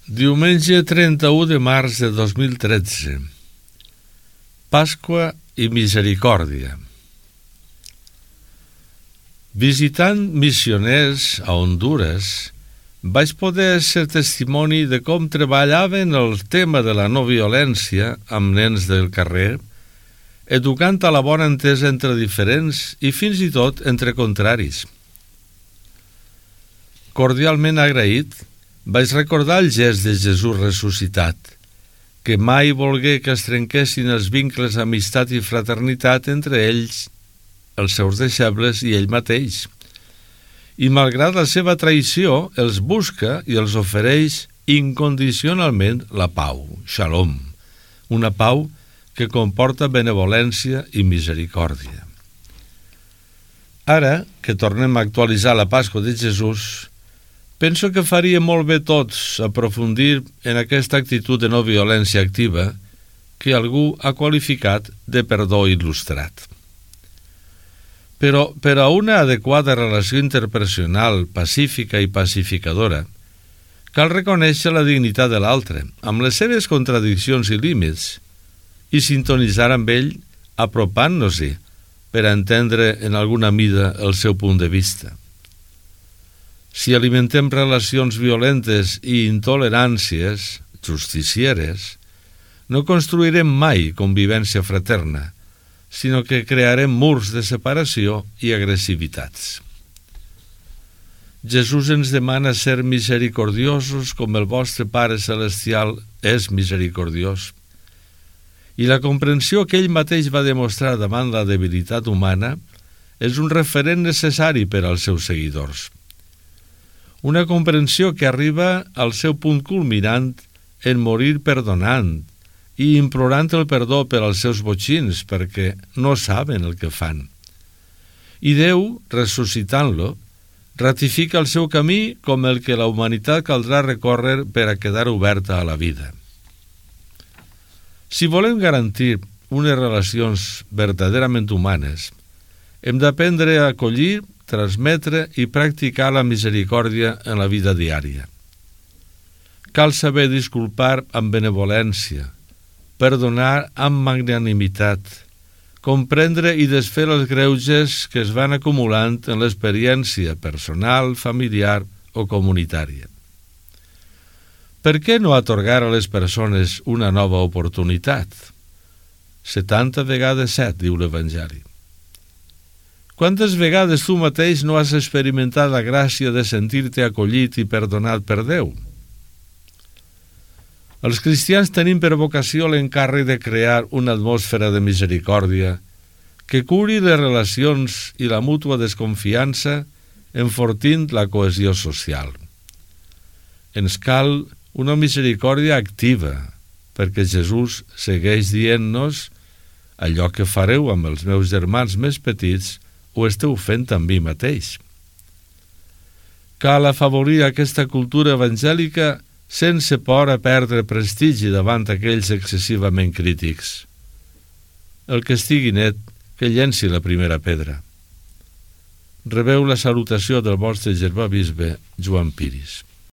Diumenge 31 de març de 2013. Pasqua i misericòrdia. Visitant missioners a Hondures, vaig poder ser testimoni de com treballaven el tema de la no violència amb nens del carrer, educant a la bona entesa entre diferents i fins i tot entre contraris. Cordialment agraït, vaig recordar el gest de Jesús ressuscitat, que mai volgué que es trenquessin els vincles d'amistat i fraternitat entre ells, els seus deixebles i ell mateix. I malgrat la seva traïció, els busca i els ofereix incondicionalment la pau, Shalom, una pau que comporta benevolència i misericòrdia. Ara que tornem a actualitzar la Pasqua de Jesús, penso que faria molt bé tots aprofundir en aquesta actitud de no violència activa que algú ha qualificat de perdó il·lustrat. Però per a una adequada relació interpersonal pacífica i pacificadora, cal reconèixer la dignitat de l'altre, amb les seves contradiccions i límits, i sintonitzar amb ell apropant-nos-hi per a entendre en alguna mida el seu punt de vista. Si alimentem relacions violentes i intoleràncies, justicieres, no construirem mai convivència fraterna, sinó que crearem murs de separació i agressivitats. Jesús ens demana ser misericordiosos com el vostre Pare Celestial és misericordiós. I la comprensió que ell mateix va demostrar davant la debilitat humana és un referent necessari per als seus seguidors. Una comprensió que arriba al seu punt culminant en morir perdonant i implorant el perdó per als seus botxins perquè no saben el que fan. I Déu, ressuscitant-lo, ratifica el seu camí com el que la humanitat caldrà recórrer per a quedar oberta a la vida. Si volem garantir unes relacions verdaderament humanes, hem d'aprendre a acollir, transmetre i practicar la misericòrdia en la vida diària. Cal saber disculpar amb benevolència, perdonar amb magnanimitat, comprendre i desfer els greuges que es van acumulant en l'experiència personal, familiar o comunitària. Per què no atorgar a les persones una nova oportunitat? 70 vegades 7, diu l'Evangeli. Quantes vegades tu mateix no has experimentat la gràcia de sentir-te acollit i perdonat per Déu? Els cristians tenim per vocació l'encàrrec de crear una atmosfera de misericòrdia que curi les relacions i la mútua desconfiança enfortint la cohesió social. Ens cal una misericòrdia activa, perquè Jesús segueix dient-nos allò que fareu amb els meus germans més petits ho esteu fent amb mi mateix. Cal afavorir aquesta cultura evangèlica sense por a perdre prestigi davant aquells excessivament crítics. El que estigui net, que llenci la primera pedra. Rebeu la salutació del vostre germà bisbe Joan Piris.